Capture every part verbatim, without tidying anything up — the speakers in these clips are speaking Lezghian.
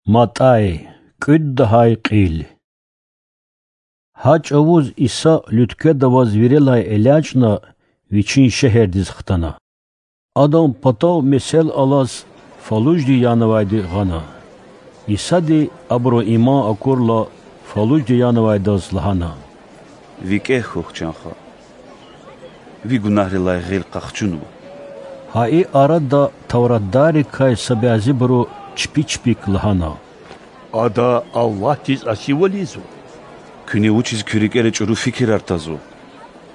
МатӀай, кӀуьд лагьай кьил. Гьа чӀавуз Иса Луьткведа аваз вирелай элячӀна, Вичин шегьердиз хтана. Адан патав месел алаз фалужди янавайди гъана. Исади, абурун иман акурла, фалужди янавайдаз лагьана: ВикӀегь хьухь, чан хва, ви гунагьрилай гъил къахчунва. Гьа и арада тавратдаррикай са бязибуру чпи-чпик лагьана: Ада Аллагьдиз асивал ийизва. Куьне вучиз куь рикӀера чӀуру фикирар тазва?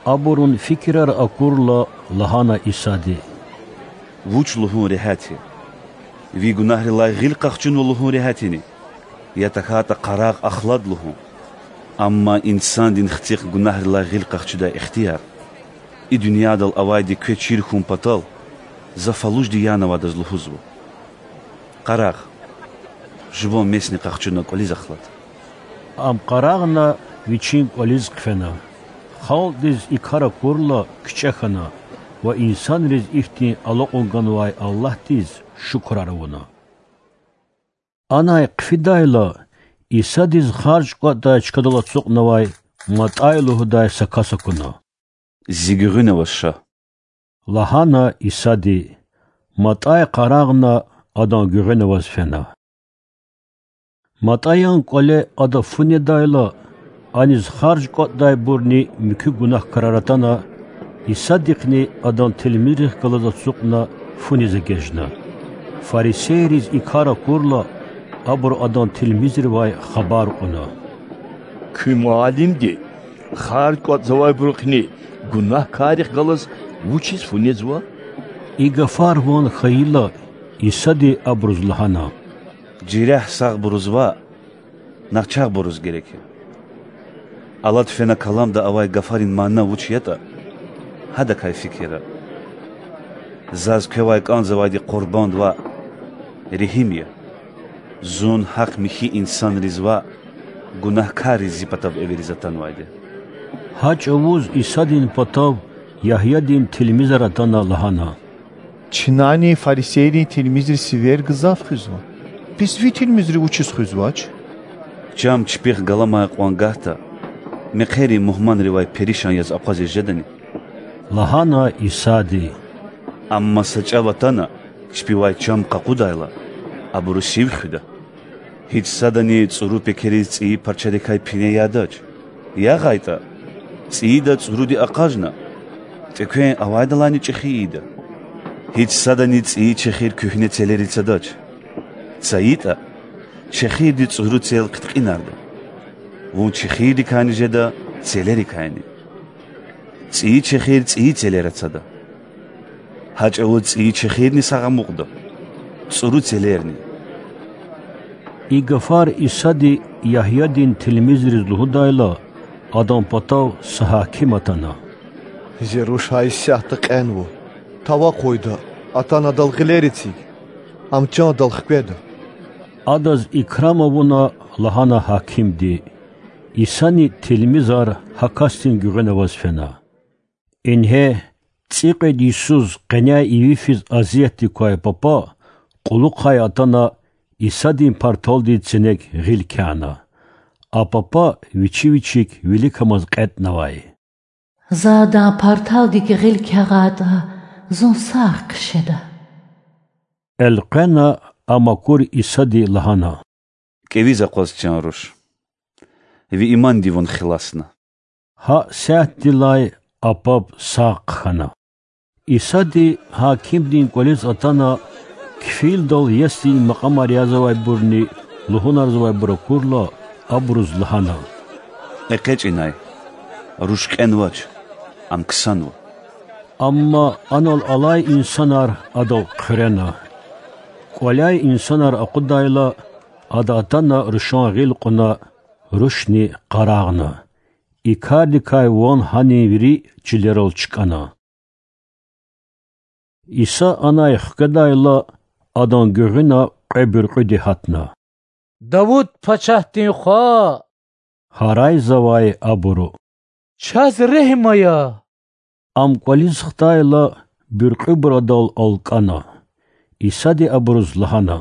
Абурун фикирар акурла, лагьана Исади: Вуч лугьун регьят я? Ви гунагьрилай гъил къахчунва лугьун регьятни, я тахьайтӀа къарагъ ахлад лугьун? Амма Инсандин Хцихъ гунагьрилай гъил къахчудай ихтияр и дуьньядал авайди квез чир хьун патал, За фалужди янавайдаз лугьузва: Къарагъ, жуван месни къахчуна кӀвализ ахлад. Ам къарагъна, вичин кӀвализ хъфена. Халкьдиз и кар акурла, кичӀе хьана ва инсанриз ихьтин алакьун ганвай Аллагьдиз шукурар авуна. Анай хъфидайла, Исадиз харж кӀватӀдай чкадал ацукьнавай МатӀай лугьудай са кас акуна. Зи гуьгъуьна аваз ша,– лагьана Исади. МатӀай къарагъна, адан гуьгъуьна аваз фена. МатӀаян кӀвале ада фу недайла, аниз харж кӀватӀдайбурни муькуь гунагькарар атана, Исадихъни Адан тилмизрихъ галаз ацукьна фуниз эгечӀна. Фарисейриз и кар акурла, абуру Адан тилмизривай хабар кьуна: Куь муаллимди харж кӀватӀзавайбурухъни гунагькаррихъ галаз вучиз фу незва? И гафар ван хьайила, Исади абуруз лагьана: Жерягь сагъбуруз ваъ, начагъбуруз герек я. Алад фена каламда авай гафарин мана вуч ятӀа, гьадакай фикирда. Заз квевай кӀанзавайди къурбанд ваъ, регьим я. Зун гьахъ-михьи инсанриз ваъ, гунагькарриз Зи патав эвериз атанвайди. Гьа чӀавуз Исадин патав Ягьядин тилмизар атана лагьана: Чнани фарисейрин тилмизри сивер гзаф хуьзва, бес Ви тилмизри вучиз хуьзвач? Чам чпихъ галамай кьван гагьда мехъерин мугьманривай перишан яз акъвазиз жедани? лагьана Исади. Амма са чӀав атана, чпивай чам къакъудайла, абуру сив хуьда. Гьич садани цӀуру пекериз цӀийи парчадикай пине ядач. ЯгъайтӀа, цӀийида цӀуруди акъажна, тӀеквен авайдалайни чӀехи ийида. Гьич садани цӀийи чехир куьгьне целери цадач. ЦайитӀа, чехирди цӀуру цел хъиткьинарда. Вун чехирдикайни жеда, целерикайни. ЦӀийи чехир цӀийи целера цада. Гьа чӀавуз цӀийи чехирни сагъ амукьда, цӀуру целерни. И гафар Исади Ягьядин тилмизриз лугьудайла, адан патав са гьаким атана. Зи руш гьа исятда кьенва. Тавакъ гъвайда, атана адал гъилер эциг, ам чандал хкведа. Адаз икрам авуна, лагьана гьакимди. Исани тилмизар гьа касдин гуьгъуьна аваз фена. Ингье, цӀикьвед йисуз къеняй иви физ азиятдик квай папа кьулухъай атана, Исадин парталдин ценек гъил кяна. А папа вичи вичик виликамаз кьетӀнавай. За Адан парталдик гъил кягъайтӀа, зун сагъ хъжеда. Элкъвена, ам акур Исади лагьана: КӀевиз акъваз, чан руш, ви иманди вун хиласна. Гьа сятдилай а паб сагъ хъхьана. Исади гьакимдин кӀвализ атана, кфилдал ясдин макьамар язавайбурни лугьунарзавайбур акурла, абуруз лагьана: ЭкъечӀ инай, руш кьенвач, ам ксанва. Амма анал алай инсанар Адал хъуьрена. КӀваляй инсанар акъудайла, Ада атана рушан гъил кьуна, рушни къарагъна. И кардикай ван гьанин вири чилерал чкӀана. Иса анай хкведайла, Адан гуьгъуьна кьве буьркьуьди гьатна. Давуд пачагьдин Хва! гьарайзавай абуру. Чаз регьим ая! Ам кӀвализ хтайла, буьркьуьбур Адал алкӀана. Исади абуруз лагьана: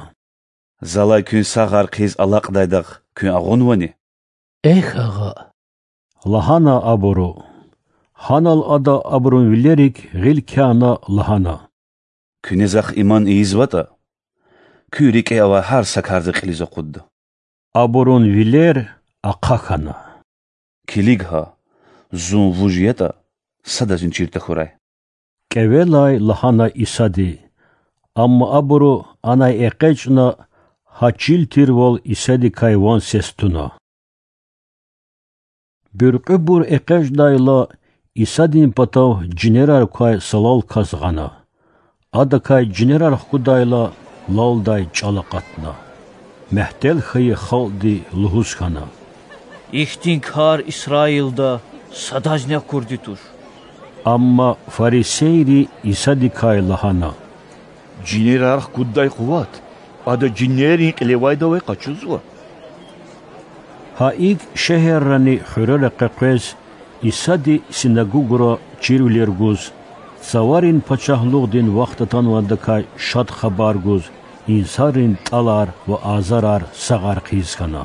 Залай куьн сагъар хъийиз алакьдайдахъ куьн агъунвани? Эхь, агъа,— лагьана абуру. Гьанал ада абурун вилерик гъил кяна, лагьана: Куьне Захъ иман ийизватӀа, куь рикӀе авай гьар са карда кьилиз акъудда. Абурун вилер ахъа хьана. Килиг гьа, Зун вуж ятӀа, садазни чир тахьурай,— кӀевелай лагьана Исади. Амма абуру анай экъечӀна, гьа чил тирвал Исадикай ван-сес туна. Буьркьуьбур экъечӀдайла, Исадин патав жинерар квай салал кас гъана. Адакай жинерар хкудайла, лалдай чӀал акъатна. Мягьтел хьайи халкьди лугьуз хьана: Ихьтин кар Исраилда садазни акурди туш. Амма фарисейри Исадикай лагьана: Жинерар хкуддай къуват Ада жинеррин кьилевайдавай къачузва. Гьа икӀ шегьеррани хуьрера къекъвез, Исади синагогра чирвилер гуз, цаварин пачагьлугъдин вахт атанвайдакай шад хабар гуз, инсанрин тӀалар ва азарар сагъар хъийиз хьана.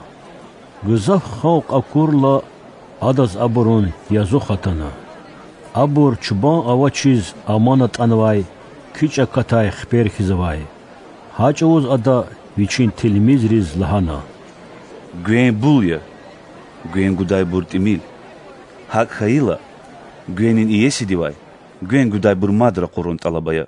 Гзаф халкь акурла, Адаз абурун язух атана. Абур чубан авачиз аман атӀанвай, кичӀ акатай хипер хьиз авай. Гьа чӀавуз Ада Вичин тилмизриз лагьана: Гвен бул я, гвен гудайбур тӀимил. ГьакӀ хьайила, гвенин иесидивай гвен гудайбур мад ракъурун тӀалаб ая.